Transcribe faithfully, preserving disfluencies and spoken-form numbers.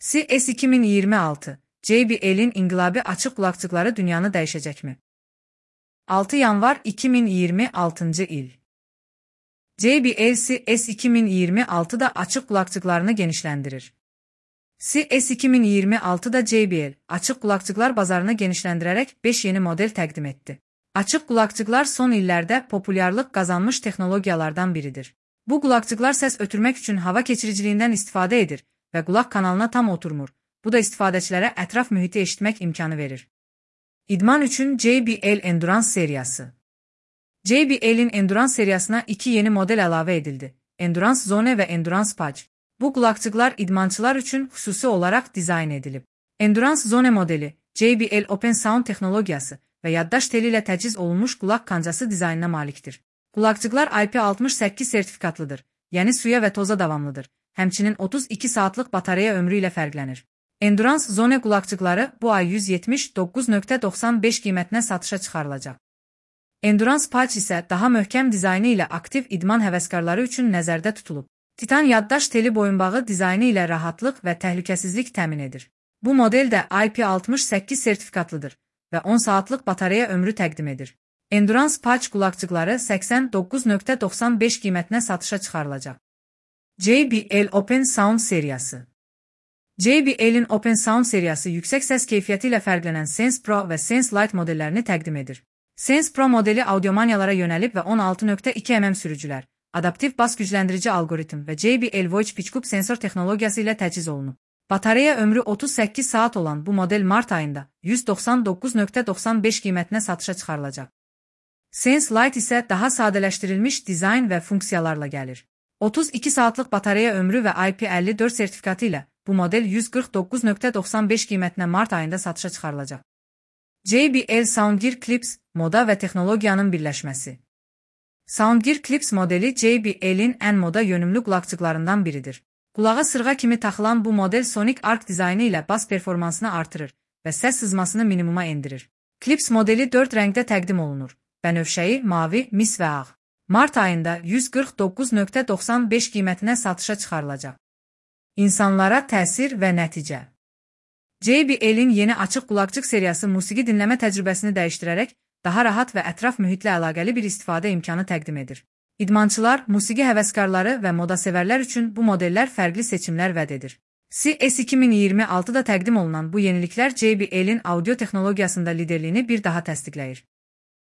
C S iki min iyirmi altı, J B L'in inqilabi açıq qulaqçıqları dünyanı dəyişəcəkmi? altı yanvar iki min iyirmi altıncı il. J B L C S iki min iyirmi altıda açıq qulaqçıqlarını genişləndirir. C S iki min iyirmi altıda J B L, açıq qulaqçıqlar bazarını genişləndirərək beş yeni model təqdim etdi. Açıq qulaqçıqlar son illərdə populyarlıq qazanmış texnologiyalardan biridir. Bu qulaqçıqlar səs ötürmək üçün hava keçiriciliyindən istifadə edir və qulaq kanalına tam oturmur. Bu da istifadəçilərə ətraf mühiti eşitmək imkanı verir. İdman üçün J B L Endurance seriyası. J B L'in Endurance seriyasına iki yeni model əlavə edildi. Endurance Zone və Endurance Patch. Bu qulaqçıqlar idmançılar üçün xüsusi olaraq dizayn edilib. Endurance Zone modeli, J B L Open Sound texnologiyası və yaddaş teli ilə təchiz olunmuş qulaq kancası dizaynına malikdir. Qulaqçıqlar I P altmış səkkiz sertifikatlıdır, yəni suya və toza davamlıdır. Həmçinin otuz iki saatlıq batareya ömrü ilə fərqlənir. Endurance Zone qulaqçıqları bu ay yüz yetmiş doqquz nöqtə doxsan beş qiymətinə satışa çıxarılacaq. Endurance Patch isə daha möhkəm dizaynı ilə aktiv idman həvəskarları üçün nəzərdə tutulub. Titan yaddaş teli boyunbağı dizaynı ilə rahatlıq və təhlükəsizlik təmin edir. Bu model də I P altmış səkkiz sertifikatlıdır və on saatlıq batareya ömrü təqdim edir. Endurance Patch qulaqçıqları səksən doqquz nöqtə doxsan beş qiymətinə satışa çıxarılacaq. J B L Open Sound seriyası. J B L'in Open Sound seriyası yüksək səs keyfiyyəti ilə fərqlənən Sense Pro və Sense Lite modellərini təqdim edir. Sense Pro modeli audiomaniyalara yönəlib və on altı nöqtə iki millimetr sürücülər, adaptiv bas gücləndirici algoritm və J B L Voice Pitch Cup sensor texnologiyası ilə təchiz olunub. Batareya ömrü otuz səkkiz saat olan bu model mart ayında yüz doxsan doqquz nöqtə doxsan beş qiymətinə satışa çıxarılacaq. Sense Lite isə daha sadələşdirilmiş dizayn və funksiyalarla gəlir. otuz iki saatlıq batareya ömrü və I P əlli dörd sertifikatı ilə bu model yüz qırx doqquz nöqtə doxsan beş qiymətinə mart ayında satışa çıxarılacaq. J B L Soundgear Clips, moda və texnologiyanın birləşməsi. Soundgear Clips modeli J B L'in ən moda yönümlü qulaqçıqlarından biridir. Qulağa sırğa kimi taxılan bu model Sonic Arc dizaynı ilə bas performansını artırır və səs sızmasını minimuma endirir. Clips modeli dörd rəngdə təqdim olunur: bənövşəyi, mavi, mis və ağ. Mart ayında yüz qırx doqquz nöqtə doxsan beş qiymətinə satışa çıxarılacaq. İnsanlara təsir və nəticə. J B L'in yeni açıq qulaqçıq seriyası musiqi dinləmə təcrübəsini dəyişdirərək daha rahat və ətraf mühitlə əlaqəli bir istifadə imkanı təqdim edir. İdmançılar, musiqi həvəskarları və moda sevərlər üçün bu modellər fərqli seçimlər vəd edir. C S iki min iyirmi altıda təqdim olunan bu yeniliklər J B L'in audio texnologiyasında liderliyini bir daha təsdiqləyir.